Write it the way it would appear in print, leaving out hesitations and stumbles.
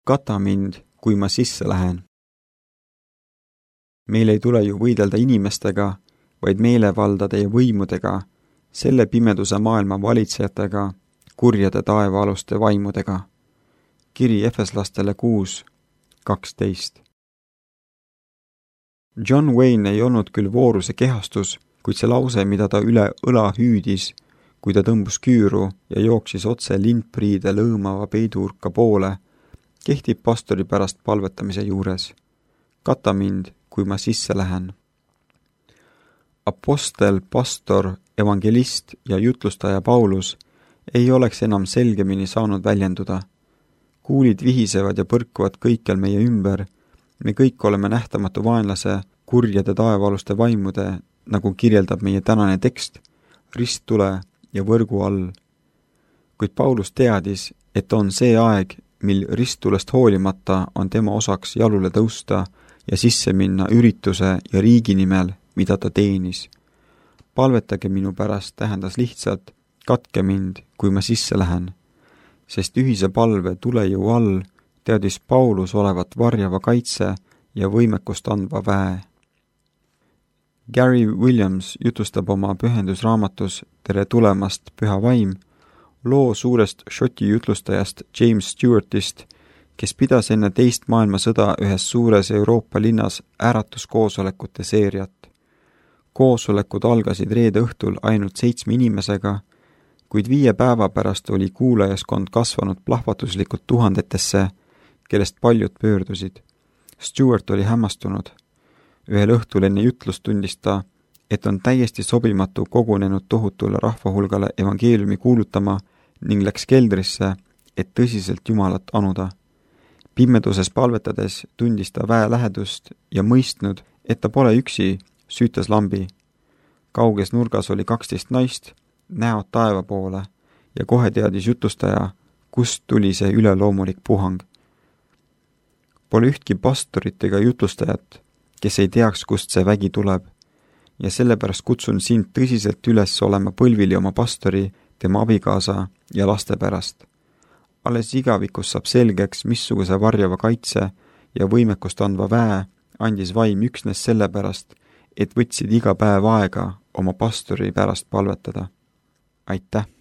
Kata mind, kui ma sisse lähen. Meil ei tule ju võidelda inimestega, vaid meelevaldade ja võimudega, selle pimeduse maailma valitsejatega, kurjade taevaaluste vaimudega. Kiri Efeslastele 6:12. John Wayne ei olnud küll vooruse kehastus, kuid see lause, mida ta üle õla hüüdis, kui ta tõmbus küüru ja jooksis otse lindpriide lõõmava peiduurka poole, kehtib pastori pärast palvetamise juures. Kata mind, kui ma sisse lähen. Apostel, pastor, evangelist ja jutlustaja Paulus ei oleks enam selgemini saanud väljenduda. Kuulid vihisevad ja põrkuvad kõikjal meie ümber. Me kõik oleme nähtamatu vaenlase, kurjade taevaaluste vaimude, nagu kirjeldab meie tänane tekst, risttule ja võrgu all. Kuid Paulus teadis, et on see aeg, mil risttulest hoolimata on tema osaks jalule tõusta ja sisse minna ürituse ja riigi nimel, mida ta teenis. Palvetage minu pärast tähendas lihtsalt, katke mind, kui ma sisse lähen, sest ühise palve tulejõu all teadis Paulus olevat varjava kaitse ja võimekust andva väe. Gary Williams jutustab oma pühendusraamatus Tere tulemast, püha vaim, loo suurest Šoti jutlustajast James Stewartist, kes pidas enne teist maailmasõda ühes suures Euroopa linnas äratuskoosolekute seeriat. Koosolekud algasid reede õhtul ainult 7 inimesega, kuid 5 päeva pärast oli kuulajaskond kasvanud plahvatuslikult tuhandetesse, kellest paljud pöördusid. Stewart oli hämmastunud. Ühel õhtul enne jutlust tundis ta, et on täiesti sobimatu kogunenud tohutule rahvahulgale evangeeliumi kuulutama ning läks keldrisse, et tõsiselt Jumalat anuda. Pimeduses palvetades tundis ta väe lähedust ja mõistnud, et ta pole üksi, süütas lambi. Kauges nurgas oli 12 naist, näod taeva poole ja kohe teadis jutlustaja, kust tuli see üleloomulik puhang. Pole ühtki pastorit ega jutlustajat, kes ei teaks, kust see vägi tuleb, ja sellepärast kutsun sind tõsiselt üles olema põlvili oma pastori, tema abikaasa ja laste pärast. Alles igavikus saab selgeks, missuguse varjava kaitse ja võimekust andva väe andis vaim üksnes sellepärast, et võtsid iga päev aega oma pastori pärast palvetada. Aitäh!